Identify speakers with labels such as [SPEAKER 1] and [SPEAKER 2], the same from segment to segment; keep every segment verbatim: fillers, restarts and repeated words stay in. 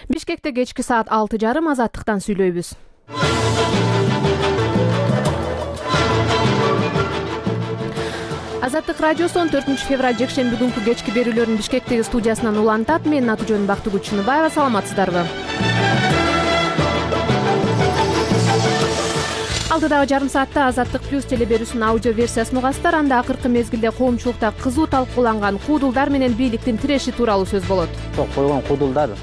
[SPEAKER 1] Бишкекте кечки саат алты жарым Азаттыктан сүйлөйбүз. Азаттык радиосу он төртүнчү февраль жекшемби күнкү кечки берүүлөрүн Бишкектеги студиясынан улантат. Менин аты-жөнүм Бактыгүл Чыныбаева. Саламатсыздарбы? Алдыдагы жарым саатта Азаттык плюс телеберүүсүнүн аудио версиясын угасыздар. Анда акыркы мезгилде коомчулукта кызуу талкууланган куудулдар менен бийликтин тиреши тууралуу сөз болот.
[SPEAKER 2] Койгон куудулдар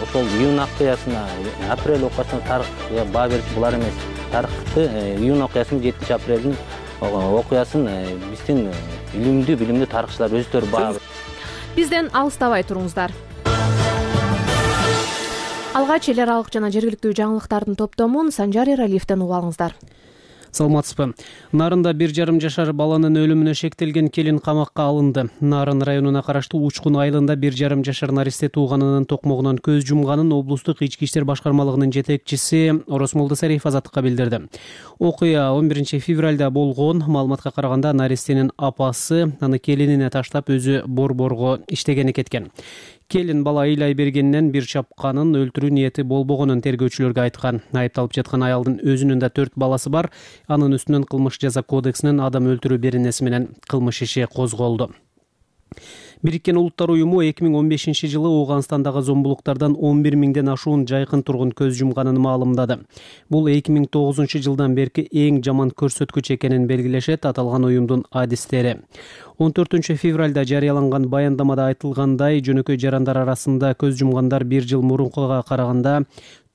[SPEAKER 2] ошол июнь окуясына, апрель окуясына тарых баа бериши булар эмес. Тарыхты июнь окуясын жетинчи апрелдин окуясын биздин илимдүү билимдүү тарыхчылар өздөрү баа.
[SPEAKER 1] Бизден алыстабай туруңуздар. Алгач эл аралык жана жергиликтүү жаңылыктардын топтомун Санжар Эралиевден угуп алыңыздар.
[SPEAKER 3] Саламатсызбы? Нарында бир жарым жашар баланын өлүмүнө шектелген келин камакка алынды. Нарын районуна караштуу Учкун айылында бир жарым жашар наристе тууганынын токмогунан көз жумганын облустук ички иштер башкармалыгынын жетекчиси Оросмолдо Сариев Азаттыкка билдирди. Окуя он биринчи февралда болгон. Маалыматка караганда наристенин апасы аны келинине таштап өзү борборго иштегени кеткен. Келин бала ыйлай бергенинен бир чапканын өлтүрүү ниети болбогонун тергөөчүлөргө айткан. Айыпталып жаткан аялдын өзүнүн да төрт баласы бар. Анын үстүнөн кылмыш жаза кодексинин адам өлтүрүү беренеси менен кылмыш иши козголду. Бириккен Улуттар уюму эки миң он бешинчи жылы Ооганстандагы зомбулуктардан он бир миңден ашуун жайкын тургун көз жумганын маалымдады. Бул эки миң тогузунчу жылдан берки эң жаман көрсөткүч экенин белгилешет аталган уюмдун адистери. он төртүнчү февралда жарыяланган баяндамада айтылгандай, жөнөкөй жарандар арасында көз жумгандар бир жыл мурункуга караганда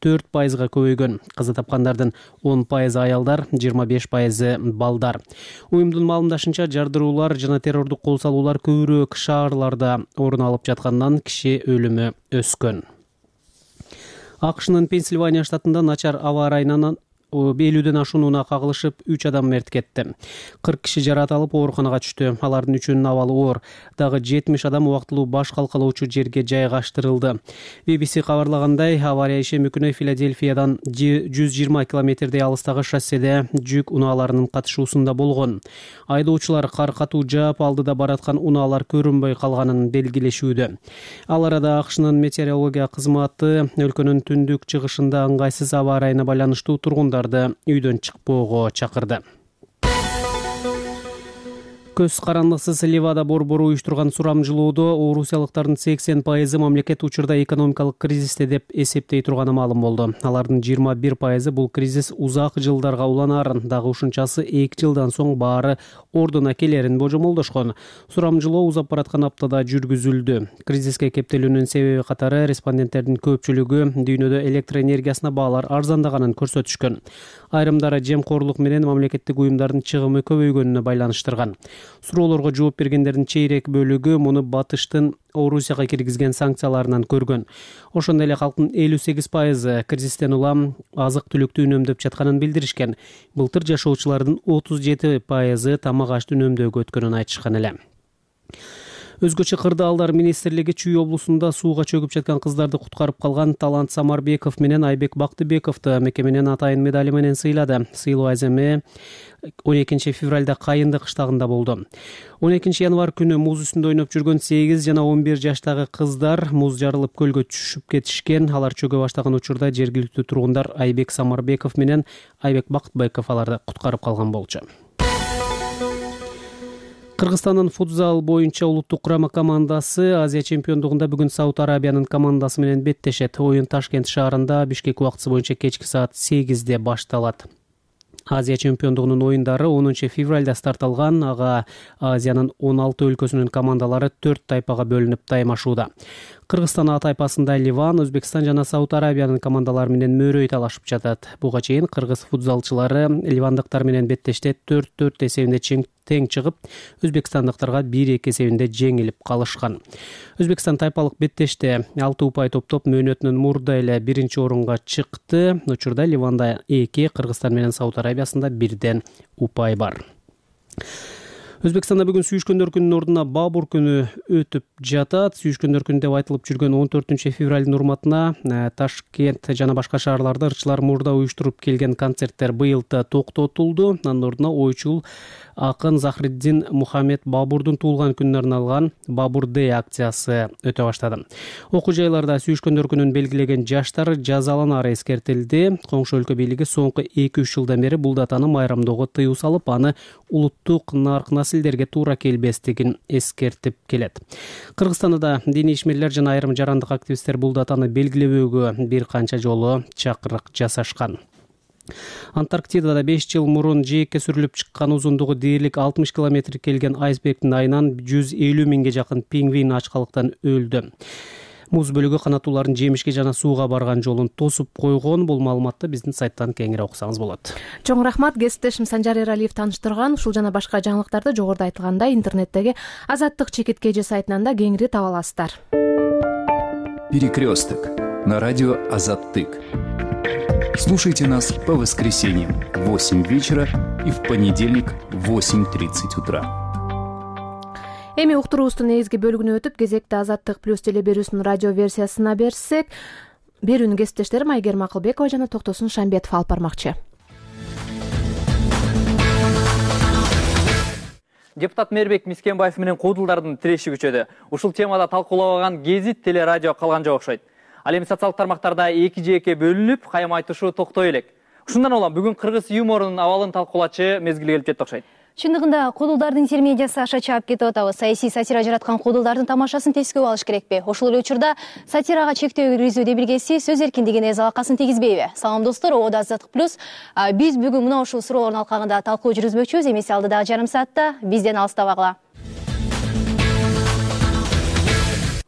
[SPEAKER 3] төрт пайызга көбөйгөн. Каза тапкандардын он пайызы аялдар, жыйырма беш пайызы балдар. Уюмдун маалымдашынча, жардыруулар жана террордук кол салуулар көбүрөөк шаарларда орун алып жаткандан киши өлүмү өскөн. АКШнын Пенсильвания штатында начар аба ырайынан элүүдөн ашуун унаа кагылышып үч адам мерт кетти. кырк киши жараат алып ооруканага түштү. Алардын үчөөнүн абалы оор. Дагы жетимиш адам убактылуу баш калкалоочу жерге жайгаштырылды. би би си кабарлагандай, авария ишемби күнү Филадельфиядан жүз жыйырма километрдей алыстагы шосседе жүк унааларынын катышуусунда болгон. Айдоочулар кар катуу жаап, алдыда бараткан унаалар көрүнбөй калганын белгилешүүдө. Ал арада АКШнын метеорология кызматы өлкөнүн түндүк чыгышында ыңгайсыз аба ырайына байланыштуу тургундар үйдөн чыкпоого чакырды. Көз карандыксыз Ливада борбору уюштурган сурамжылоодо орусиялыктардын сексен пайызы мамлекет учурда экономикалык кризисте деп эсептей турганы маалым болду. Алардын жыйырма бир пайызы бул кризис узак жылдарга уланарын, дагы ушунчасы эки жылдан соң баары ордуна келерин божомолдошкон. Сурамжылоо узап бараткан аптада жүргүзүлдү. Кризиске кептелүүнүн себеби катары респонденттердин көпчүлүгү дүйнөдө электр энергиясына баалар арзандаганын көрсөтүшкөн. Айрымдары жемкорлук менен мамлекеттик уюмдардын чыгымы көбөйгөнүнө байланыштырган. Суроолорго жооп бергендердин чейрек бөлүгү муну батыштын Орусияга киргизген санкцияларынан көргөн. Ошондой эле калктын элүү сегиз пайызы кризистен улам азык-түлүктү үнөмдөп жатканын билдиришкен. Былтыр жашоочулардын отуз жети пайызы тамак ашты үнөмдөөгө өткөнүн айтышкан эле. Өзгөчө кырдаалдар министрлиги Чүй облусунда сууга чөгүп жаткан кыздарды куткарып калган Талант Самарбеков менен Айбек Бактыбековду мекеменин атайын медали менен сыйлады. Сыйлоо аземи он экинчи февралда Кайынды кыштагында болду. он экинчи январь күнү муз үстүндө ойноп жүргөн сегиз жана он бир жаштагы кыздар муз жарылып көлгө түшүп кетишкен. Алар чөгө баштаган учурда жергиликтүү тургундар Айбек Самарбеков менен Айбек Бактыбеков аларды куткарып калган болчу. Кыргызстандын футзал боюнча улуттук курама командасы Азия чемпиондугунда бүгүн Сауд Арабиянын командасы менен беттешет. Оюн Ташкент шаарында Бишкек убактысы боюнча кечки саат сегизде башталат. Азия чемпиондугунун оюндары онунчу февралда старт алган. Ага Азиянын он алты өлкөсүнүн командалары төрт тайпага бөлүнүп таймашууда. Кыргызстан А тайпасында Ливан, Өзбекстан жана Сауд Арабиянын командалары менен мөрөй талашып жатат. Буга чейин кыргыз футзалчылары ливандыктар менен беттеште төрт төрт эсебинде тең чыгып, өзбекстандыктарга бир эки эсебинде жеңилип калышкан. Өзбекстан тайпалык беттеште алты упай топтоп мөөнөтүнүн мурда эле биринчи орунга чыкты. Учурда Ливанда эки, Кыргызстан менен Сауд Арабиясында бирден упай бар. Өзбекстанда бүгүн сүйүшкөндөр күнүнүн ордуна Бабур күнү өтүп жатат. Сүйүшкөндөр күнү деп айтылып жүргөн он төртүнчү февралдын урматына Ташкент жана башка шаарларда ырчылар мурда уюштуруп келген концерттер быйыл да токтотулду. Анын ордуна ойчул акын Захриддин Мухаммед Бабурдун туулган күнүнө арналган Бабур Дэй акциясы өтө баштады. Окуу жайларда сүйүшкөндөр күнүн белгилеген жаштар жазаланары эскертилди. Коңшу өлкө бийлиги соңку эки үч жылдан бери бул датаны майрамдоого тыюу салып, аны улуттук нарк населдерге туура келбестигин эскертип келет. Кыргызстанда да диний ишмерлер жана айрым жарандык активисттер бул датаны белгилебөөгө бир канча жолу чакырык жасашкан. Антарктидада беш жыл мурун жээкке сүрүлүп чыккан узундугу дээрлик алтымыш километр келген айсбергдин айынан жүз элүү миңге жакын пингвин ачкалыктан өлдү. Муз бөлүгү канаттуулардын жемишке жана сууга барган жолун тосуп койгон. Бул маалыматты биздин сайттан кеңири окусаңыз болот.
[SPEAKER 1] Чоң рахмат. Кесиптешим Санжар Эралиев тааныштырган. Ушул жана башка жаңылыктарды жогоруда айтылгандай интернеттеги Азаттык чекит кж сайтынан да кеңири таба аласыздар.
[SPEAKER 4] Перекресток на радио Азаттык. Слушайте нас по воскресеньям в восемь вечера и в понедельник в восемь тридцать утра.
[SPEAKER 1] Эми уктуруубуздун негизги бөлүгүнө өтүп, кезекте Азаттык плюс телеберүүсүнүн радио версиясына берсек, берүүнүн кесиптештерим Айгерим Акылбекова жана Токтосун Шамбетов алып бармакчы.
[SPEAKER 5] Депутат Мээрбек Мискенбаев менен куудулдардын тиреши күчөдү. Ушул темада талкуулабаган гезит телерадио калган жок окшойт. Ал эми социалдык тармактарда эки жээкке бөлүнүп, кайым айтышуу токтой элек. Ушундан улам бүгүн кыргыз юморунун абалын талкуулачу мезгил келип жетти окшойт.
[SPEAKER 6] Чындыгында куудулдардын интермедиясы аша чаап кетип атабыз. Саясий сатира жараткан куудулдардын тамашасын тескөө алыш керекпи? Ошол эле учурда сатирага чектөө киргизүү демилгеси сөз эркиндигине залакасын тийгизбейби? Салам достор, Ода Азаттык плюс. Биз бүгүн мына ушул суроолордун алкагында талкуу жүргүзмөкчүбүз. Эмесе алдыдагы жарым саатта бизден алыстабагыла.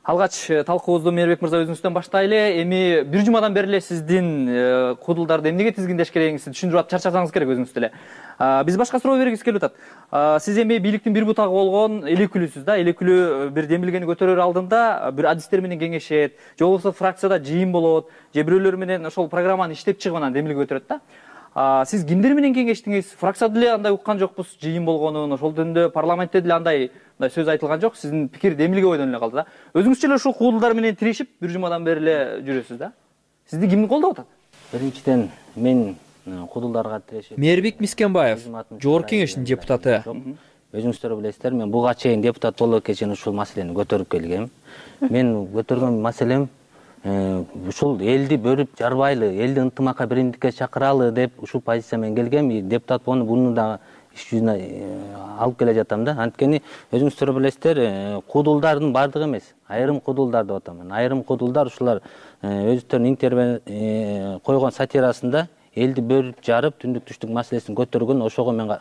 [SPEAKER 5] Алгач талкуубузду Мээрбек мырза өзүңүздөн баштайлы. Эми бир жумадан бери эле сиздин куудулдарды эмнеге тизгиндеш керегиңизди түшүндүрүп атып чарчасаңыз керек өзүңүз деле. Биз башка суроо бергибиз келип атат. Сиз эми бийликтин бир бутагы болгон элекүлүсүз да, элекүлү бир демилгени көтөрөр алдында бир адистер менен кеңешет, же болбосо фракцияда жыйын болот, же бирөөлөр менен ошол программаны иштеп чыгып анан демилге көтөрөт да. Сиз кимдер менен кеңештиңиз? Фракцияда деле андай уккан жокпуз жыйын болгонун, ошол жөнүндө парламентте деле андай сөз айтылган жок. Сиздин пикир демилге бойдон эле калды да. Өзүңүзчө эле ушул куудулдар менен тирешип, бир жумадан бери эле жүрөсүз да. Сизди ким колдоп атат?
[SPEAKER 2] Биринчиден мен куудулдарга тирешип.
[SPEAKER 5] Мээрбек Мискенбаев, Жогорку Кеңештин депутаты.
[SPEAKER 2] Өзүңүздөр билесиздер, мен буга чейин депутат боло кечен ушул маселени көтөрүп келгем. Мен көтөргөн маселем ушул элди бөлүп жарбайлы, элди ынтымакка биримдикке чакыралы деп ушул позиция менен келгем. Депутат болуп буну да иш жүзүнө алып келе жатам да. Анткени өзүңүздөр билесиздер, куудулдардын бардыгы эмес, айрым куудулдар деп атам. Айрым куудулдар ушулар өздөрүнүн интервью койгон сатирасында элди бөлүп жарып, түндүк түштүк маселесин көтөргөн, ошого мен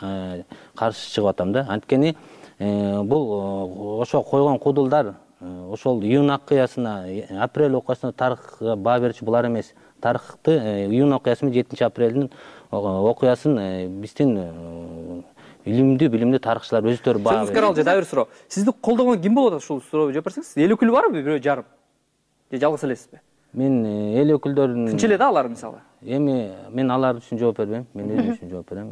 [SPEAKER 2] каршы чыгып атам да. Анткени бул ошо койгон куудулдар ошол июнь акыясына, апрель окуясына тарыхка баа берчү булар эмес. Тарыхты июнь окуясы менен жетинчи апрелдин окуясын биздин илимдүү, билимдүү тарыхчылар өздөрү баа берет.
[SPEAKER 5] Сөзүңүзгө алжа дагы бир суроо. Сизди колдогон ким болот ушул суроого жооп берсеңиз? Эл өкүлү барбы бирөө жарым? Же жалгыз элесизби?
[SPEAKER 2] Мен эл өкүлдөрүнүн
[SPEAKER 5] Күнчө эле да алар мисалы.
[SPEAKER 2] Эми мен алар үчүн жооп бербейм, мен өзүм үчүн жооп берем.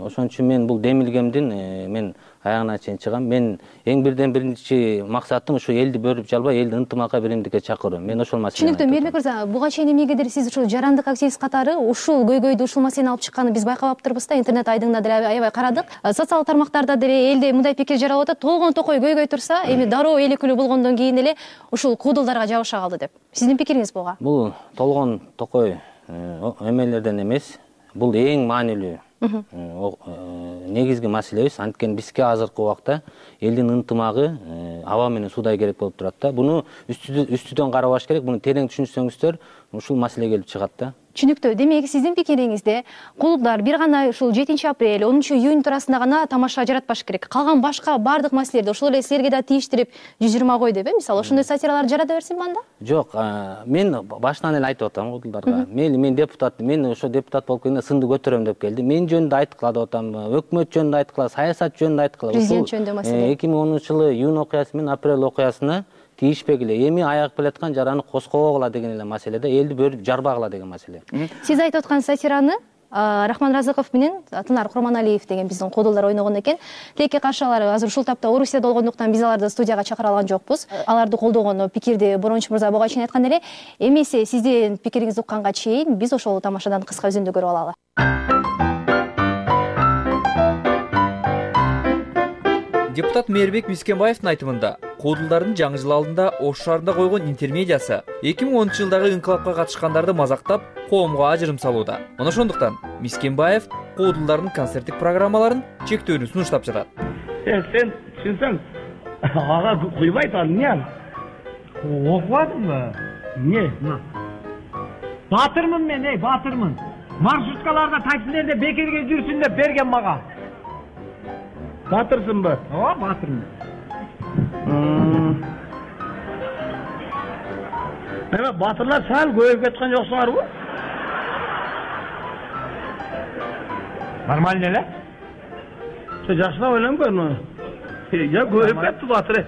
[SPEAKER 2] Ошон үчүн мен бул демилгемдин мен аягына чейин чыгам. Мен эң бирден биринчи максатым ушу элди бөлүп жалбай, элди ынтымакка биримдикке чакыруу. Мен ошол маселени.
[SPEAKER 6] Түшүнүктүү. Мээрбек мырза, буга чейин эмнегедир сиз ушул жарандык активист катары ушул көйгөйдү, ушул маселени алып чыкканын биз байкап да, интернет айдыңда деле аябай карадык. Социалдык тармактарда деле элде мындай пикир жаралып атат. Толгон токой көйгөй турса, эми дароо эл өкүлү болгондон кийин эле ушул куудулдарга жабыша калды деп. Сиздин пикириңиз буга?
[SPEAKER 2] Бул толгон токой эмелерден эмес, бул эң маанилүү негизги маселебиз. Анткени бизге азыркы убакта элдин ынтымагы аба менен суудай керек болуп турат да. Буну үстүдөн карабаш керек, буну терең түшүнсөңүздөр ушул маселе келип чыгат да.
[SPEAKER 6] Түшүнүктүү. Демек, сиздин пикириңизде куудулдар бир гана ушул жетинчи апрель, онунчу июнь туурасында гана тамаша жаратпаш керек. Калган башка бардык маселелерди ошол эле силерге да тийиштирип жүз жыйырма кой деп, э? Мисалы, ошондой сатиралар жарата берсин анда?
[SPEAKER 2] Жок, мен башынан эле айтып атам куудулдарга. Мейли мен депутат, мен ошо депутат болуп келгенде сынды көтөрөм деп келди. Мен жөнүндө айткыла деп атам, өкмөт жөнүндө айткыла, саясат жөнүндө айткыла.
[SPEAKER 6] Президент жөнүндө маселе.
[SPEAKER 2] эки миң онунчу жылы июнь окуясы менен апрель окуясына тийишпегиле, эми аягып келаткан жараны коскобогула деген эле маселеде, элди бөлүп жарбагыла деген маселе.
[SPEAKER 6] Сиз айтып аткан сатираны Рахман Разыков менен Тынар Курманалиев деген биздин кодулдар ойногон экен. Тилекке каршы алар азыр ушул тапта Орусияда болгондуктан биз аларды студияга чакыра алган жокпуз. Аларды колдогон пикирди Борончу мырза буга чейин айткан эле. Эмесе сиздин пикириңизди укканга чейин биз ошол тамашадан кыска үзүндү көрүп алалы.
[SPEAKER 7] Депутат Мээрбек Мискенбаевдин айтымында, кодулдардын жаңы жыл алдында Ош шаарында койгон интермедиясы эки миң онунчу жылдагы инкылапка катышкандарды мазактап, коомго ажырым салууда. Мына ошондуктан Мискенбаев кодулдардын концерттик программаларын чектөөнү сунуштап жатат.
[SPEAKER 8] Сен түшүнсөң, ага куйбайт ал эмне ал? Окубадыңбы? Эмне? Батырмын мен, эй, батырмын. Маршруткаларда, таксилерде бекерге жүрсүн деп берген мага. Батырсынбы? Ооба, батырмын. Эме батырлар сал көбөйүп кеткен жоксуңарбы? Нормально эле? Сен жакшылап ойлонуп көрмү? Я көбөйүп кетти батыр.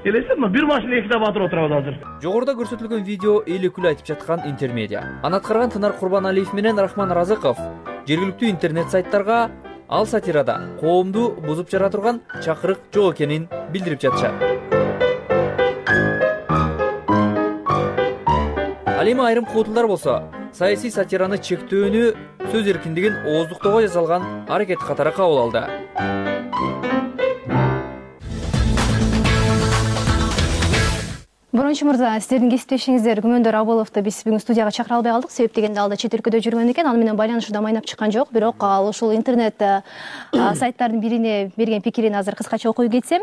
[SPEAKER 8] Элесиңби, бир машина экиде батыр отурабыз азыр.
[SPEAKER 7] Жогоруда көрсөтүлгөн видео эл өкүлү айтып жаткан интермедиа. Аны аткарган Тынар Курбаналиев менен Рахман Разыков жергиликтүү интернет сайттарга ал сатирада коомду бузуп жара турган чакырык жок экенин билдирип жатышат. Ал эми айрым кодулдар болсо, саясий сатираны чектөөнү сөз эркиндигин ооздуктоого жасалган аракет катары кабыл алды.
[SPEAKER 6] Борончу мырза, сиздердин кесиптешиңиздер Күмөндөр Абыловду биз бүгүн студияга чакыра албай калдык. Себеп дегенде ал да чет өлкөдө жүргөн экен. Ал менен байланышуу да майнап чыккан жок. Бирок ал ушул интернет сайттардын бирине берген пикирин азыр кыскача окуп кетсем.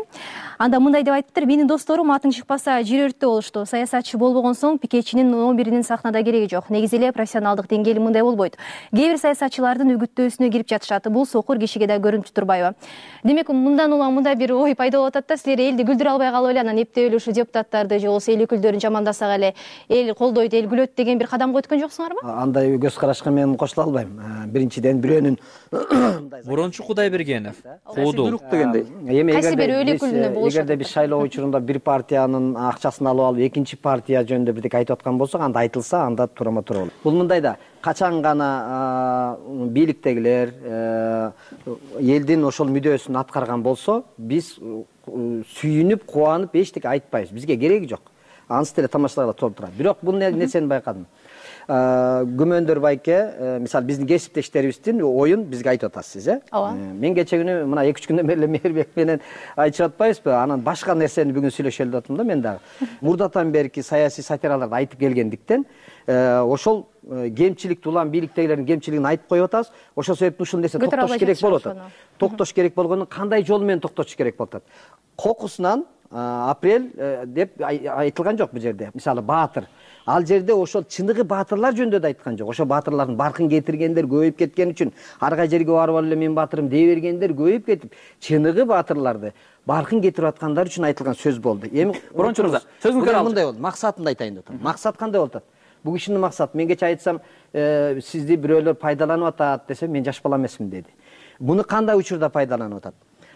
[SPEAKER 6] Анда мындай деп айтыптыр: менин досторум атың чыкпаса жер өрттө болушту. Саясатчы болбогон соң пикетчинин он биринин сахнада кереги жок. Негизи эле профессионалдык деңгээли мындай болбойт. Кээ бир саясатчылардын үгүттөөсүнө кирип жатышат. Бул сокур кишиге да көрүнүп турбайбы? Демек, мындан улам мындай бир ой пайда болуп атат да, силер элди күлдүрө албай калып эле анан эптеп эле ушу депутаттарды же болбосо эл өкүлдөрүн жамандасак эле эл колдойт, эл күлөт деген бир кадамга өткөн жоксуңарбы?
[SPEAKER 9] Андай көз карашка мен кошула албайм. Биринчиден бирөөнүн
[SPEAKER 7] Борончу Кудайбергенов кодул
[SPEAKER 9] дегендей. Эми эгерде биз шайлоо учурунда бир партиянын акчасын алып алып экинчи партия жөнүндө бирдеке айтып аткан болсок, анда айтылса, анда турама туура болот. Бул мындай да, качан гана бийликтегилер элдин ошол мүдөөсүн аткарган болсо, биз сүйүнүп, кубанып эчтеке айтпайбыз. Бизге кереги жок. Ансы деле тамашаларга толуп турат. Бирок бул нерсени байкадым. Күмөндөр байке, мисалы биздин кесиптештерибиздин оюн бизге айтып атасыз, э?
[SPEAKER 6] Ооба.
[SPEAKER 9] Мен кече күнү мына эки үч күндөн бери эле Мээрбек менен айтышып атпайбызбы? Анан башка нерсени бүгүн сүйлөшөлү деп атам да мен дагы. Мурдатан берки саясий сатираларды айтып келгендиктен, ошол кемчиликти улам бийликтегилердин кемчилигин айтып коюп атабыз. Ошол себептен ушул нерсе токтош керек болуп атат. Токтош керек болгону кандай жол менен токтош керек болуп атат? Кокусунан апрель деп айтылган жок бул жерде. Мисалы баатыр. Ал жерде ошол чыныгы баатырлар жөнүндө да айткан жок. Ошол баатырлардын баркын кетиргендер көбөйүп кеткен үчүн, ар кай жерге барып алып эле мен баатырым дей бергендер көбөйүп кетип, чыныгы баатырларды баркын кетирип аткандар үчүн айтылган сөз болду. Эми
[SPEAKER 5] Борончу мырза, сөзүңүздү алып.
[SPEAKER 9] Мындай болду. Максатын айтайын деп атам. Максат кандай болуп атат? Бул кишинин максаты, мен кече айтсам, сизди бирөөлөр пайдаланып атат десем, мен жаш бала эмесмин деди. Муну кандай учурда пайдаланып атат?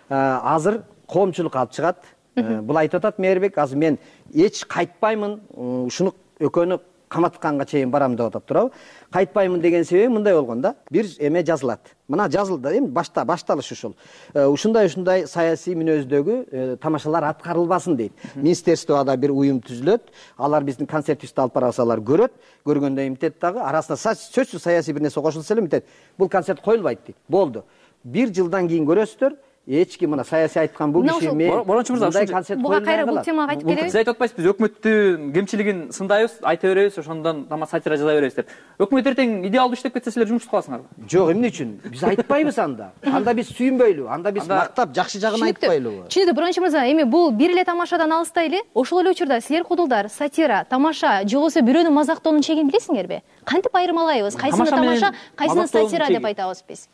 [SPEAKER 9] Азыр коомчулук алып чыгат. Бул айтып атат Мээрбек, азыр мен эч кайтпаймын, ушуну экөөнү каматканга чейин барам деп атат туурабы? Кайтпаймын деген себеби мындай болгон да. Бир эме жазылат. Мына жазылды, эми башта башталыш ушул. Ушундай-ушундай саясий мүнөздөгү тамашалар аткарылбасын дейт. Министерствода бир уюм түзүлөт. Алар биздин концертибизди алып барса алар көрөт. Көргөндө имтет дагы арасына сөзсүз саясий бир нерсе кошулса эле имтет. Бул концерт коюлбайт дейт. Болду. Бир жылдан кийин көрөсүздөр. Эч ким мына саясий айткан бул киши мен
[SPEAKER 5] Борончу мырза,
[SPEAKER 6] буга кайра бул темага кайтып келебиз.
[SPEAKER 5] Сиз айтып атпайсызбы, биз өкмөттүн кемчилигин сындайбыз, айта беребиз, ошондон тама сатира жаза беребиз деп. Өкмөт эртең идеалдуу иштеп кетсе силер жумушту кыласыңарбы?
[SPEAKER 9] Жок, эмне үчүн? Биз айтпайбыз анда. Анда биз сүйүнбөйлү, анда биз мактап, жакшы жагын айтпайлыбы?
[SPEAKER 6] Түшүнүктүү, Борончу мырза, эми бул бир эле тамашадан алыстай эле. Ошол эле учурда силер кодулдар, сатира, тамаша, же болбосо бирөөнүн мазактоонун чегин билесиңерби? Кантип айырмалайбыз? Кайсыны тамаша, кайсыны сатира деп айтабыз биз?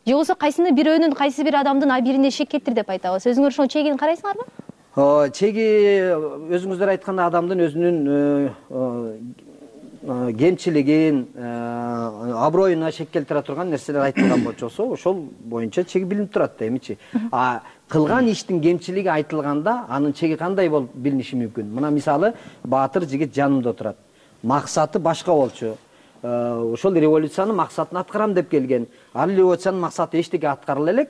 [SPEAKER 6] Же болбосо кайсыны бирөөнүн, кайсы бир адамдын абирине шек кеттир деп айтабыз? Өзүңөр ошол чегин карайсыңарбы?
[SPEAKER 9] Чеги өзүңүздөр айткандай адамдын өзүнүн кемчилигин, аброюна шек келтире турган нерселер айтылган болчосо, ошол боюнча чеги билинип турат да эмичи. А кылган иштин кемчилиги айтылганда, анын чеги кандай болуп билиниши мүмкүн? Мына мисалы, баатыр жигит жанымда отурат. Максаты башка болчу. ошол революциянын максатын аткарам деп келген. Ал революциянын максаты эчтеке аткарыла элек,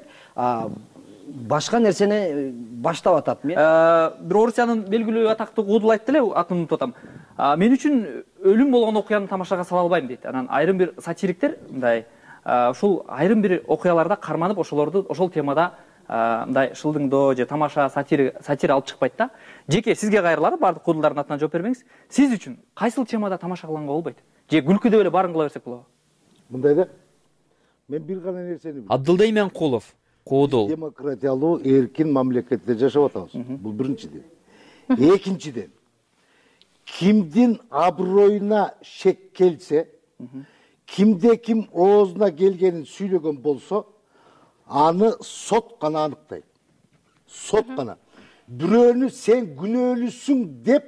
[SPEAKER 9] башка нерсени баштап атат. Мен
[SPEAKER 5] бир Орусиянын белгилүү атактуу куудул айтты эле, атын унутуп атам. Мен үчүн өлүм болгон окуяны тамашага сала албайм дейт. Анан айрым бир сатириктер мындай ушул айрым бир окуяларда карманып ошолорду ошол темада мындай шылдыңдоо же тамаша сатира сатира алып чыкпайт да. Жеке сизге кайрылары, баардык куудулдардын атынан жооп бербеңиз. Сиз үчүн кайсыл темада тамаша кылганга болбойт? Же күлкүдөп эле баарын кыла берсек болобу?
[SPEAKER 10] Мындай да. Мен бир гана нерсени билем.
[SPEAKER 7] Абдылда Именкулов, куудул.
[SPEAKER 10] Демократиялуу, эркин мамлекетте жашап атабыз. Бул биринчиден. Экинчиден, кимдин аброюна шек келсе, кимде ким оозуна келгенин сүйлөгөн болсо, аны сот гана аныктайт. Сот гана. Бирөөнү сен күнөөлүүсүң деп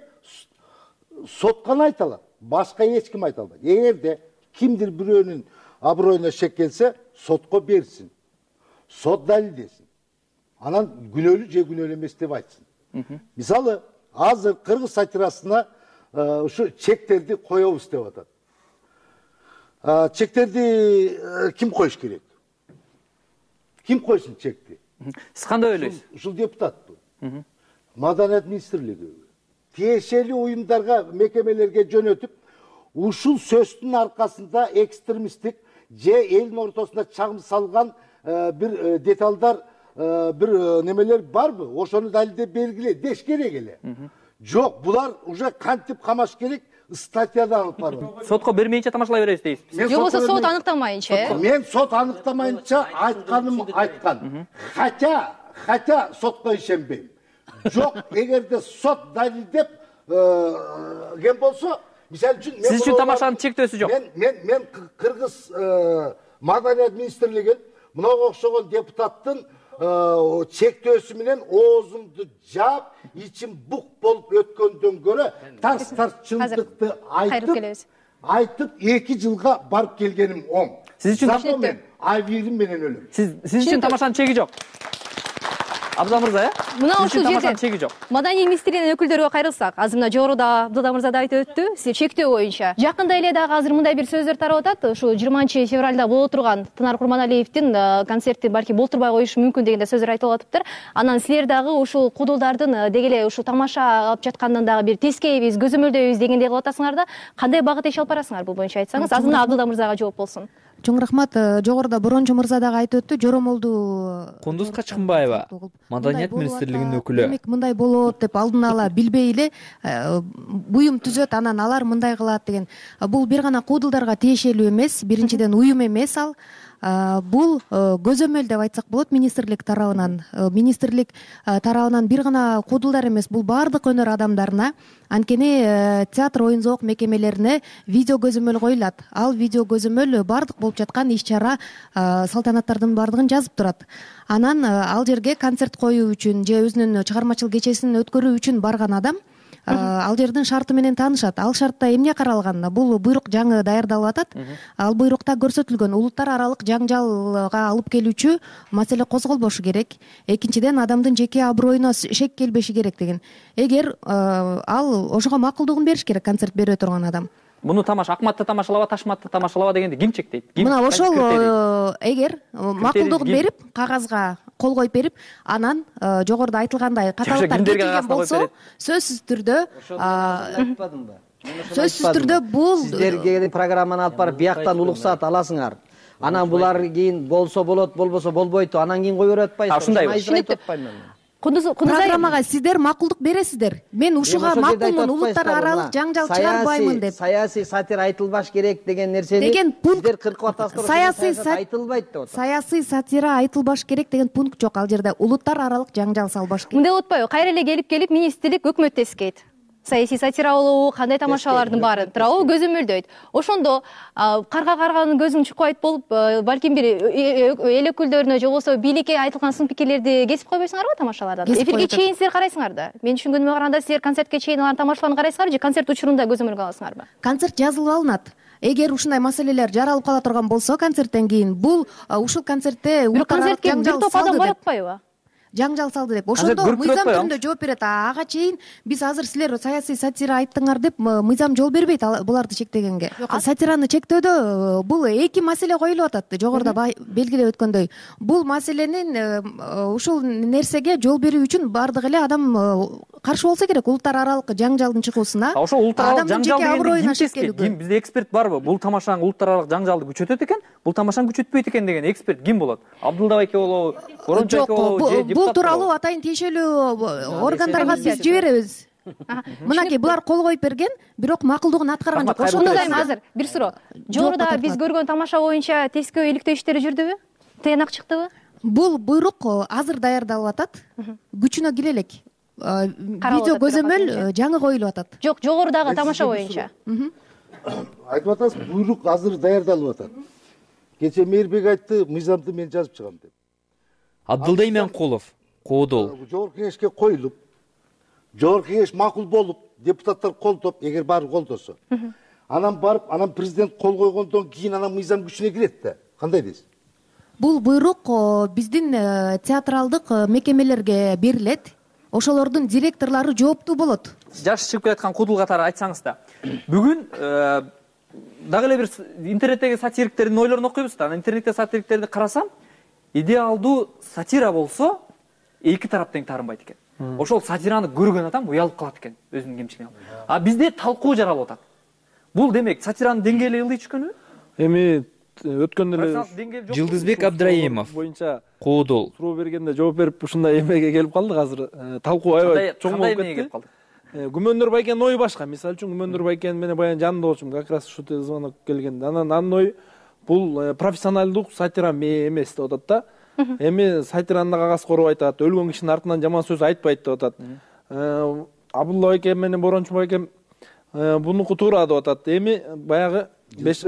[SPEAKER 10] сот гана айта алат. Башка эч ким айта албайт. Эгерде кимдир бирөөнүн аброюна шек келсе, сотко берсин. Сот далилдесин. Анан күнөөлүү же күнөөлүү эмес деп айтсын. Мисалы, азыр кыргыз сатирасына ушу чектерди коебуз деп атат. Чектерди ким коюш керек? Ким койсун чекти?
[SPEAKER 5] Сиз кандай ойлойсуз?
[SPEAKER 10] Ушул депутаттуу. Маданият министрлиги тиешелүү уюмдарга, мекемелерге жөнөтүп, ушул сөздүн аркасында экстремисттик же элдин ортосуна чагым салган бир деталдар, бир немелер барбы? Ошону далилдеп бергиле деш керек эле. Жок, булар уже кантип камаш керек, статьяда алып барып.
[SPEAKER 5] Сотко бермейинче тамашалай беребиз дейсиз.
[SPEAKER 6] Же болбосо сот аныктамайынча?
[SPEAKER 10] Мен сот аныктамайынча айтканым айткан. Хотя, хотя сотко ишенбейм. Жок, эгерде сот далилдеп ген болсо, мисалы үчүн
[SPEAKER 5] сиз үчүн тамашанын чектөөсү жок.
[SPEAKER 10] Мен мен мен Кыргыз маданият министрлигин мынага окшогон депутаттын чектөөсү менен оозумду жаап, ичим бук болуп өткөндөн көрө тарс-тарс чындыкты айтып, айтып эки жылга барып келгеним оң.
[SPEAKER 5] Сиз үчүн
[SPEAKER 10] мен авирим менен өлөм.
[SPEAKER 5] Сиз сиз үчүн тамашанын чеги жок. Абдулла мырза, э?
[SPEAKER 6] Мына ушул жерде маданий министрлигинин өкүлдөрүгө кайрылсак, азыр мына жогоруда Абдулла мырза да айтып өттү, сиз чектөө боюнча. Жакында эле дагы азыр мындай бир сөздөр тарап атат, ушул жыйырманчы февралда боло турган Тынар Курманалиевдин концертин балки болтурбай коюшу мүмкүн деген сөздөр айтылып атыптыр. Анан силер дагы ушул куудулдардын деги эле ушул тамаша алып жаткандан дагы бир тескейбиз, көзөмөлдөйбүз дегендей кылып атасыңар да, кандай багыт иш алып барасыңар бул боюнча айтсаңыз, азыр мына Абдулла мырзага жооп болсун.
[SPEAKER 1] Чоң рахмат. Жогоруда Борончу мырза дагы айтып өттү, жоромолду
[SPEAKER 7] Кундуз Качкынбаева, маданият министрлигинин өкүлү.
[SPEAKER 1] Демек мындай болот деп алдын ала билбей эле буюм түзөт, анан алар мындай кылат деген. Бул бир гана куудулдарга тиешелүү эмес, биринчиден уюм эмес ал. Бул көзөмөл деп айтсак болот министрлик тарабынан. Министрлик тарабынан бир гана куудулдар эмес, бул баардык өнөр адамдарына, анткени театр, оюн-зоок мекемелерине видео көзөмөл коюлат. Ал видео көзөмөл баардык болуп жаткан иш-чара, салтанаттардын баардыгын жазып турат. Анан ал жерге концерт коюу үчүн же өзүнүн чыгармачылык кечесин өткөрүү үчүн барган адам ал жердин шарты менен таанышат. Ал шартта эмне каралган? Бул буйрук жаңы даярдалып атат. Ал буйрукта көрсөтүлгөн улуттар аралык жаңжалга алып келүүчү маселе козголбошу керек. Экинчиден, адамдын жеке аброюна шек келбеши керек деген. Эгер ал ошого макулдугун бериш керек концерт бере турган адам.
[SPEAKER 5] Муну тамаша Акматты тамашалаба, Ташматты тамашалаба дегенди ким чектейт?
[SPEAKER 1] Мына ошол эгер макулдугун берип, кагазга кол коюп берип, анан жогоруда айтылгандай каталыктар кетилген болсо, сөзсүз түрдө
[SPEAKER 9] айтпадымбы?
[SPEAKER 1] Сөзсүз түрдө бул
[SPEAKER 9] сиздерге программаны алып барып бияктан улуксаат аласыңар. Анан булар кийин болсо болот, болбосо болбойт, анан кийин кое берип атпайсызбы?
[SPEAKER 5] Ушундай.
[SPEAKER 1] Программага сиздер макулдук бересиздер. Мен ушуга макулмун, улуттар аралык жаңжал чыгарбаймын деп.
[SPEAKER 9] Саясий сатира айтылбаш керек деген нерсени сиздер кыркып атасыздар.
[SPEAKER 1] Саясий
[SPEAKER 9] айтылбайт деп атат.
[SPEAKER 1] Саясий сатира айтылбаш керек деген пункт жок ал жерде. Улуттар аралык жаңжал салбаш керек.
[SPEAKER 6] Мындай болуп атпайбы? Кайра эле келип келип министрлик өкмөт тескейт. Саясий сатира болобу, кандай тамашалардын баарын туурабы көзөмөлдөйт. Ошондо карга карганын көзүн чукпайт болуп, балким бир эл өкүлдөрүнө же болбосо бийликке айтылган сын пикирлерди кесип койбойсуңарбы тамашалардан? Эфирге чейин силер карайсыңар да. Мен түшүнгөнүмө караганда силер концертке чейин алардын тамашаларын карайсыңар же концерт учурунда көзөмөлгө аласыңарбы?
[SPEAKER 1] Концерт жазылып алынат. Эгер ушундай маселелер жаралып кала турган болсо концерттен кийин, бул ушул концертте
[SPEAKER 6] улуттар аралык жаңжал салды. Бир топ адам баратпайбы?
[SPEAKER 1] жаңжал салды деп. Ошондо мыйзам түрүндө жооп берет. Ага чейин биз азыр силер саясий сатира айттыңар деп мыйзам жол бербейт буларды чектегенге. Сатираны чектөөдө бул эки маселе коюлуп атат. Жогоруда белгилеп өткөндөй. Бул маселенин ушул нерсеге жол берүү үчүн бардык эле адам каршы болсо керек улуттар аралык жаңжалдын чыгуусуна.
[SPEAKER 5] Ошо улуттар аралык жаңжал дегенде бизде эксперт барбы? Бул тамашанын улуттар аралык жаңжалды күчөтөт экен, бул тамашаны күчөтпөйт экен деген эксперт ким болот? Абдулла байке болобу, Корончу байке болобу, же депутат?
[SPEAKER 1] Бул тууралуу атайын тиешелүү органдарга биз жиберебиз. Мынакей булар кол коюп берген, бирок макулдугун аткарган жок.
[SPEAKER 6] Ошондо дайым азыр бир суроо. Жогоруда биз көргөн тамаша боюнча тескөө иликтөө иштери жүрдүбү? Тыянак чыктыбы?
[SPEAKER 1] Бул буйрук азыр даярдалып атат. Күчүнө кире элек. Видео көзөмөл жаңы коюлуп атат.
[SPEAKER 6] Жок, жогорудагы тамаша боюнча.
[SPEAKER 10] Айтып атасыз, буйрук азыр даярдалып атат. Кече Мээрбек айтты, мыйзамды мен жазып чыгам деп.
[SPEAKER 7] Абдылда Именкулов, Коодол.
[SPEAKER 10] Жогорку кеңешке коюлуп, жогорку кеңеш макул болуп, депутаттар колдоп, эгер баары колдосо. Анан барып, анан президент кол койгондон кийин анан мыйзам күчүнө кирет да. Кандай дейсиз?
[SPEAKER 1] Бул буйрук биздин театралдык мекемелерге берилет. Ошолордун директорлору жооптуу болот.
[SPEAKER 5] Жаш чыгып келаткан кудул катары айтсаңыз да. Бүгүн дагы эле бир интернеттеги сатириктердин ойлорун окуйбуз да. Интернетте сатириктерди карасам, идеалдуу сатира болсо эки тарап тең таарынбайт экен. Ошол сатираны көргөн адам уялып калат экен өзүнүн кемчилигин. А бизде талкуу жаралып атат. Бул демек сатиранын деңгээли ылдый түшкөнү?
[SPEAKER 11] Эми өткөн эле
[SPEAKER 7] Жылдызбек Абдраимов
[SPEAKER 11] боюнча
[SPEAKER 7] Коодол
[SPEAKER 11] суроо бергенде жооп берип ушундай эмеге келип калдык. Азыр талкуу аябай чоң болуп кетти. Күмөндөр байкенин ою башка. Мисалы үчүн Күмөндөр байкен менен баягы жанында болчумун, как раз ушу звонок келгенде. Анан анын ою бул профессионалдуу сатира эмес деп атат да. Эми сатираны кагаз короп айтат, өлгөн кишинин артынан жаман сөз айтпайт деп атат. Абдулла байке менен Борончу байке бунуку туура деп атат. Эми баягы беш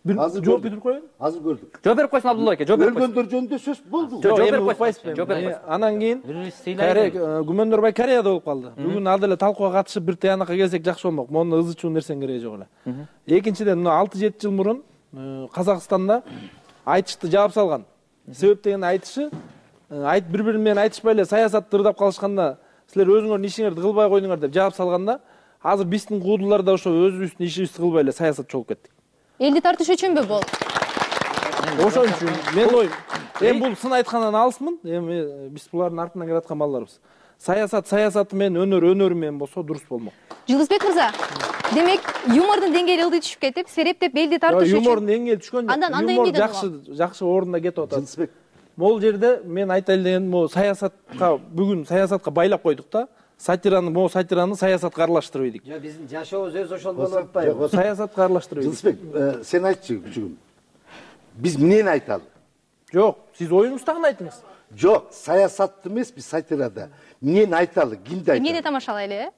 [SPEAKER 10] Азыр жооп берип коеюн. Азыр көрдүк.
[SPEAKER 5] Жооп берип койсун Абдулла байке, жооп берип койсун.
[SPEAKER 10] Өлгөндөр жөнүндө сөз болду.
[SPEAKER 5] Жооп берип койсун. Жооп берип койсун.
[SPEAKER 11] Анан кийин Күмөндөр бай Кореяда болуп калды. Бүгүн ал деле талкууга катышып бир тыянакка келсек жакшы болмок. Монун ызы чуу нерсенин кереги жок эле. Экинчиден, алты жети жыл мурун Казакстанда айтышты жаап салган. Себеп деген айтышы, айт бири-бири менен айтышпай эле саясатты ырдап калышканда, силер өзүңөрдүн ишиңерди кылбай койдуңар деп жаап салганда, азыр биздин куудулар да ошо өзүбүздүн ишибизди кылбай эле саясатчы болуп кеттик.
[SPEAKER 6] Элди тартыш үчүнбү бул?
[SPEAKER 11] Ошон үчүн мен оюм. Эми бул сын айткандан алысмын. Эми биз булардын артынан келаткан балдарбыз. Саясат саясаты менен, өнөр өнөрү менен болсо дурус болмок.
[SPEAKER 6] Жылдызбек мырза, демек юмордун деңгээли ылдый түшүп кетип, серептеп элди тартыш үчүн.
[SPEAKER 11] Юмордун деңгээли түшкөн жок. Юмор жакшы, жакшы орунда кетип атат.
[SPEAKER 10] Жылдызбек,
[SPEAKER 11] могул жерде мен айтайын дегеним, могу саясатка бүгүн саясатка байлап койдук да. Сатираны, могу сатираны саясатка аралаштырып ийдик.
[SPEAKER 9] Жок, биздин жашообуз өзү ошол болуп атпайбы?
[SPEAKER 11] Саясатка аралаштырып ийдик.
[SPEAKER 10] Жылдызбек, сен айтчы күчүгүм. Биз эмнени айталы?
[SPEAKER 11] Жок, сиз оюңуздагы айтыңыз.
[SPEAKER 10] Жок, саясатты эмес, биз сатирада. Эмнени айталы, кимди айталы?
[SPEAKER 6] Эмнени тамашалайлы, э?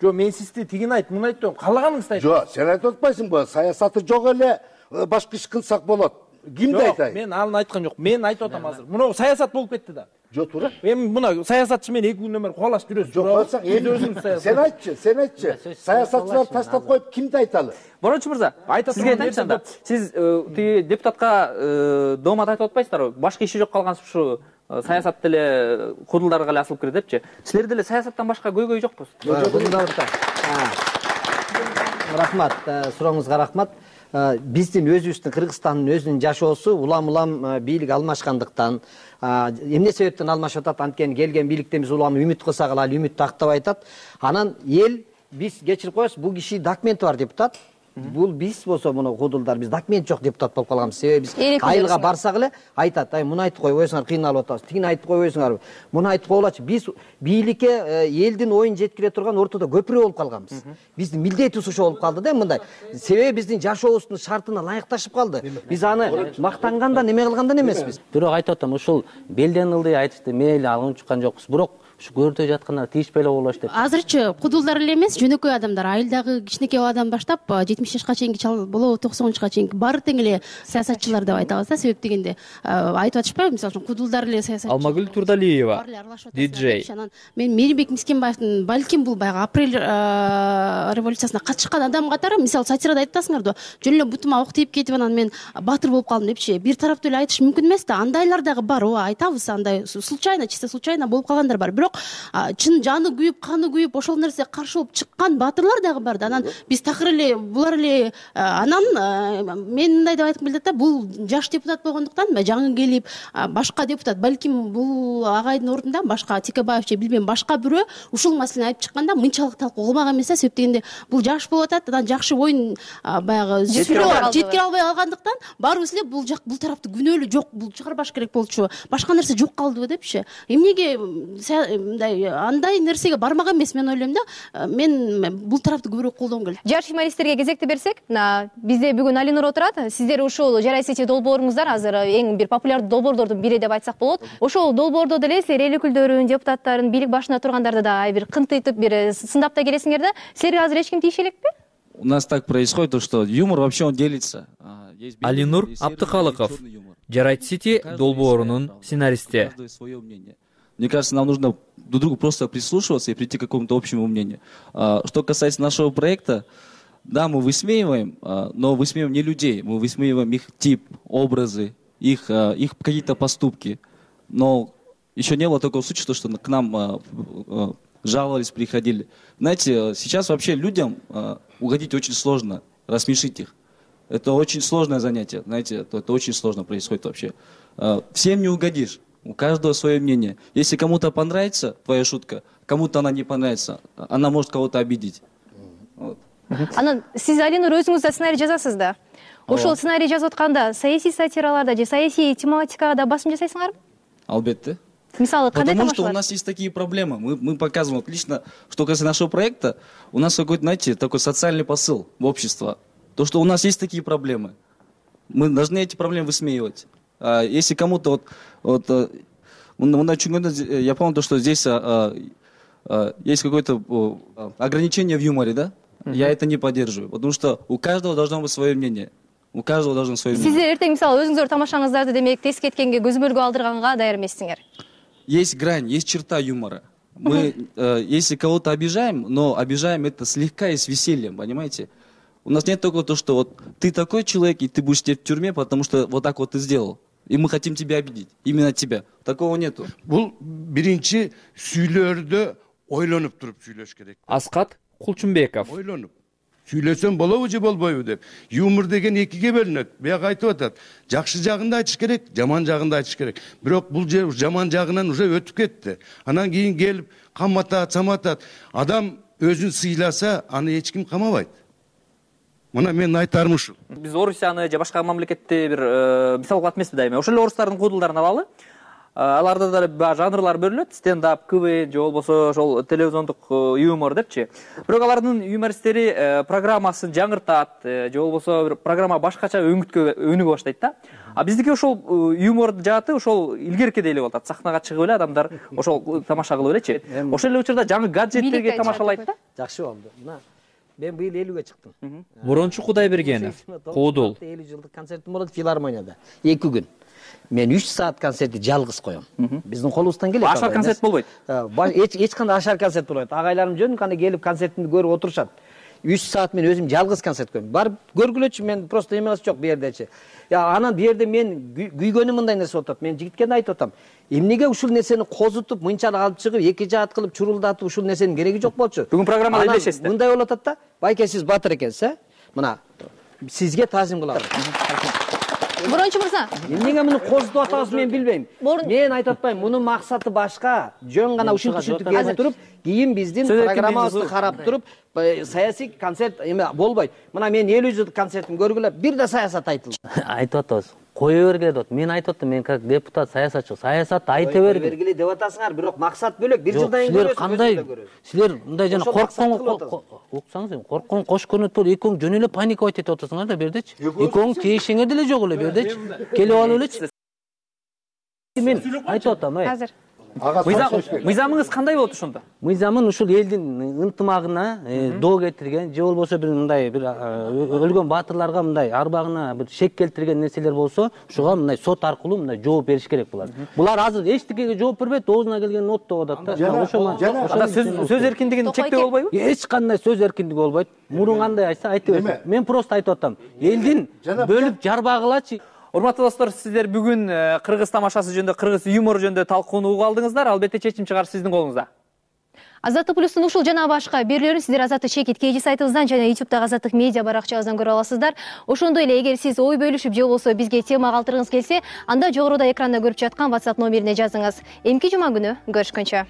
[SPEAKER 11] Жок, мен сизди тигин айт, муну айт деп, каалаганыңызды айт.
[SPEAKER 10] Жок, сен айтып атпайсыңбы? Саясаты жок эле, башка иш кылсак болот. Кимди айтайын?
[SPEAKER 11] Мен аны айткан жок. Мен айтып атам азыр. Муну саясат болуп кетти да.
[SPEAKER 10] Жок, туура.
[SPEAKER 11] Эми муна саясатчы менен эки күндөр кубалашып жүрөсүз.
[SPEAKER 10] Жок, койсоң, эми өзүңүз саясат. Сен айтчы, сен айтчы. Саясатчылар таштап коюп, кимди айталы?
[SPEAKER 5] Борончу мырза, сизге айтайынчы анда. Сиз тиги депутатка доомат айтып атпайсыздарбы? Башка иши жок калган ушу саясат деле кудулдарга эле асылып кирет депчи. Силер деле саясаттан башка көйгөй жокпу?
[SPEAKER 9] Рахмат, сурооңузга рахмат. Биздин өзүбүздүн Кыргызстандын өзүнүн жашоосу улам-улам бийлик алмашкандыктан, эмне себептен алмашып атат, анткени келген бийликтен биз улам үмүт кылсак эле үмүттү актабай атат. Анан эл биз кечирип коесуз, бул киши документи бар депутат. Бул биз болсо муну кудулдар биз документ жок депутат болуп калганбыз. Себеби биз айылга барсак эле айтат, ай муну айтып койбойсуңар, кыйналып атабыз. Тигини айтып койбойсуңарбы? Муну айтып койгулачы. Биз бийликке элдин оюн жеткире турган ортодо көпүрө болуп калганбыз. Биздин милдетибиз ошо болуп калды да мындай. Себеби биздин жашообуздун шартына ылайыкташып калды. Биз аны мактангандан, неме кылгандан эмеспиз.
[SPEAKER 2] Бирок айтып атам, ушул белден ылдый айтышты мейли алынып чыккан жокпуз. Бирок ушу көрдө жаткандар тийишпей эле коелочу деп.
[SPEAKER 12] Азырчы кудулдар эле эмес, жөнөкөй адамдар, айылдагы кичинекей адам баштап жетимиш жашка чейинки чал болобу, токсон жашка чейинки баары тең эле саясатчылар деп айтабыз да. Себеп дегенде айтып атышпайбы, мисалы үчүн кудулдар эле саясатчы.
[SPEAKER 7] Алмагүл Турдалиева, диджей.
[SPEAKER 12] Мен Мээрбек Мискенбаевдин балким бул баягы апрель революциясына катышкан адам катары, мисалы сатирада айтасыңар да, жөн эле бутума ок тийип кетип анан мен баатыр болуп калдым депчи. Бир тараптуу эле айтыш мүмкүн эмес да. Андайлар дагы бар, ооба айтабыз, андай случайно, чисто случайно болуп калгандар бар. Бирок чын жаны күйүп, каны күйүп, ошол нерсе каршы болуп чыккан баатырлар дагы бар да. Анан биз такыр эле булар эле анан мен мындай деп айткым келет да, бул жаш депутат болгондуктан жаңы келип башка депутат, балким бул агайдын ордунда башка Текебаев же билбейм башка бирөө ушул маселени айтып чыкканда мынчалык талкуу кылмак эмес да. Себеп дегенде бул жаш болуп атат, анан жакшы оюн баягы жеткире албай калгандыктан баарыбыз эле бул жак бул тарапты күнөөлүү жок, бул чыгарбаш керек болчу, башка нерсе жок калдыбы депчи. Эмнеге мындай андай нерсеге бармак эмес, мен ойлойм да. Мен бул тарапты көбүрөөк колдогум келет.
[SPEAKER 6] Жаш журналисттерге кезекти берсек, мына бизде бүгүн Алинур отурат. Сиздер ушул Жарай сети долбооруңуздар азыр эң бир популярдуу долбоордордун бири деп айтсак болот. Ошол долбоордо деле силер эл өкүлдөрүн, депутаттарын, бийлик башында тургандарды да бир кынтыйтып, бир сындап да келесиңер да. Силерге азыр эч ким тийише элекпи?
[SPEAKER 13] У нас так происходит, то что юмор вообще он делится.
[SPEAKER 7] Алинур Абдыкалыков, Жарай сети долбоорунун сценаристи.
[SPEAKER 13] Мне кажется, нам нужно друг другу просто прислушиваться и прийти к какому-то общему мнению. Что касается нашего проекта, да, мы высмеиваем, но высмеиваем не людей, мы высмеиваем их тип, образы, их, их какие-то поступки. Но еще не было такого случая, что к нам жаловались, приходили. Знаете, сейчас вообще людям угодить очень сложно, рассмешить их. Это очень сложное занятие, знаете, это, это очень сложно происходит вообще. Всем не угодишь. У каждого свое мнение. Если кому-то понравится твоя шутка, кому-то она не понравится, она может кого-то обидеть. Вот.
[SPEAKER 6] Анан сиз Алинур өзүңүз да сценарий жазасыз да. Ошол сценарий жазып атканда саясий сатираларда же саясий тематикага да басым жасайсыңарбы?
[SPEAKER 13] Албетте.
[SPEAKER 6] Мисалы, кандай
[SPEAKER 13] Потому что у нас есть такие проблемы. Мы, мы показываем отлично, что касается нашего проекта, у нас какой-то, знаете, такой социальный посыл в общество. То, что у нас есть такие проблемы. Мы должны эти проблемы высмеивать. А если кому-то вот, вот я помню то, что здесь а, а, есть какое-то а, ограничение в юморе, да? Uh-huh. Я это не поддерживаю, потому что у каждого должно быть свое мнение. У каждого должно свое мнение.
[SPEAKER 6] Сиздер эртең мисалы өзүңүздөр тамашаңыздарды демек тез кеткенге көзөмөлгө алдырганга даяр эмессиңер.
[SPEAKER 13] Есть грань, есть черта юмора. Мы, uh-huh. э, если кого-то обижаем, но обижаем это слегка и с весельем, понимаете? У нас нет такого, то, что вот ты такой человек, и ты будешь сидеть в тюрьме, потому что вот так вот ты сделал. И мы хотим тебя обидеть. Именно тебя. Такого нету.
[SPEAKER 14] Бул биринчи сүйлөрдө ойлонуп туруп сүйлөш керек.
[SPEAKER 7] Аскат Кулчумбеков.
[SPEAKER 14] Ойлонуп. Сүйлөсөм болобу же болбойбу деп. Юмор деген экиге бөлүнөт. Бияк айтып атат. Жакшы жагын да айтыш керек, жаман жагын да айтыш керек. Бирок бул жаман жагынан уже өтүп кетти. Анан кийин келип каматат, саматат. Адам өзүн сыйласа, аны эч ким камабайт. Мына мен айтарым ушул.
[SPEAKER 5] Биз Орусияны же башка мамлекетти бир мисал кылат эмеспи дайыма. Ошол эле орустардын куудулдарын алалы. Аларда да жанрлар бөлүнөт, стендап, КВН же болбосо ошол телевизиондук юмор депчи. Бирок алардын юмористтери программасын жаңыртат, же болбосо бир программа башкача өңүткө өнүгө баштайт да. А биздики ошол юмор жааты ошол илгеркидей эле болуп атат. Сахнага чыгып эле адамдар ошол тамаша кылып элечи. Ошол эле учурда жаңы гаджеттерге тамашалайт да.
[SPEAKER 9] Жакшы болду. Мына мен быйыл элүүгө чыктым.
[SPEAKER 7] Борончу Кудайбергенов, Куудул.
[SPEAKER 9] элүү жылдык концертим болот филармонияда. эки күн. Мен үч саат концертти жалгыз коем. Биздин колубуздан келет.
[SPEAKER 5] Ашар концерт болбойт.
[SPEAKER 9] Эч эч кандай ашар концерт болбойт. Агайларым жөн кандай келип концертимди көрүп отурушат. үч саат мен өзүм жалгыз концерт коем. Барып көргүлөчү, мен просто эмес жок бу жердечи. Я анан бу жерде мен күйгөнүм мындай нерсе болуп атат. Мен жигитке да айтып атам. Эмнеге ушул нерсени козутуп, мынчалык алып чыгып, эки жаат кылып, чурулдатып ушул нерсенин кереги жок болчу.
[SPEAKER 5] Бүгүн программада элдешесиз.
[SPEAKER 9] Мындай болуп атат да. Байке сиз батыр экенсиз, э? Мына сизге таазим кылам.
[SPEAKER 6] Борончу мырза.
[SPEAKER 9] Эмнеге муну козутуп атабыз мен билбейм. Мен айтып атпайм, мунун максаты башка. Жөн гана ушул түшүнтүк келип туруп, кийин биздин программабызды карап туруп, саясий концерт эме болбойт. Мына мен элүү жылдык концертимди көргүлө, бир да саясат айтылды.
[SPEAKER 2] Айтып атабыз. Кое бергиле деп. Мен айтып аттым, мен как депутат, саясатчы, саясатты айта бергиле.
[SPEAKER 9] Кое бергиле деп атасыңар, бирок максат бөлөк. Бир жылдан кийин көрөсүз.
[SPEAKER 2] Силер кандай? Силер мындай жана корккон, уксаңыз, корккон кош көрүнөт болуп, экөөң жөн эле паниковать этип атасыңар да бердечи. Экөөң тиешиңер деле жок эле бердечи. Келип алып элечи. Мен айтып атам, ай.
[SPEAKER 6] Азыр.
[SPEAKER 5] мыйзамыңыз кандай болот ошондо?
[SPEAKER 2] Мыйзамын ушул элдин ынтымагына доо кетирген же болбосо бир мындай бир өлгөн баатырларга мындай арбагына бир шек келтирген нерселер болсо ушуга мындай сот аркылуу мындай жооп бериш керек булар. Булар азыр эчтекеге жооп бербейт, оозуна келген оттоп атат да.
[SPEAKER 5] Ошо сөз эркиндигин чектөө болбойбу?
[SPEAKER 2] Эч кандай сөз эркиндиги болбойт. Мурун кандай айтса айта берсин. Мен просто айтып атам. Элдин бөлүп жарбагылачы.
[SPEAKER 5] Урматтуу достор, сиздер бүгүн кыргыз тамашасы жөнүндө, кыргыз юмору жөнүндө талкууну угуп алдыңыздар. Албетте чечим чыгар сиздин колуңузда.
[SPEAKER 6] Азаттык плюстун ушул жана башка берүүлөрүн сиздер Азаттык чекит кейжи сайтыбыздан жана ютубтагы Азаттык медиа баракчабыздан көрө аласыздар. Ошондой эле эгер сиз ой бөлүшүп же болбосо бизге тема калтыргыңыз келсе, анда жогоруда экранда көрүп жаткан WhatsApp номерине жазыңыз. Эмки жума күнү көрүшкөнчө.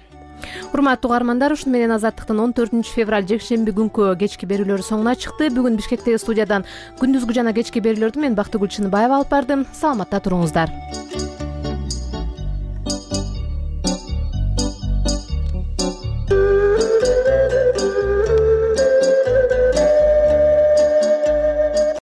[SPEAKER 15] Урматтуу угармандар, ушуну менен Азаттыктын он төртүнчү февраль жекшемби күнкү кечки берүүлөрү соңуна чыкты. Бүгүн Бишкектеги студиядан күндүзгү жана кечки берүүлөрдү мен Бактыгүл Чыныбаева алып бардым. Саламатта туруңуздар.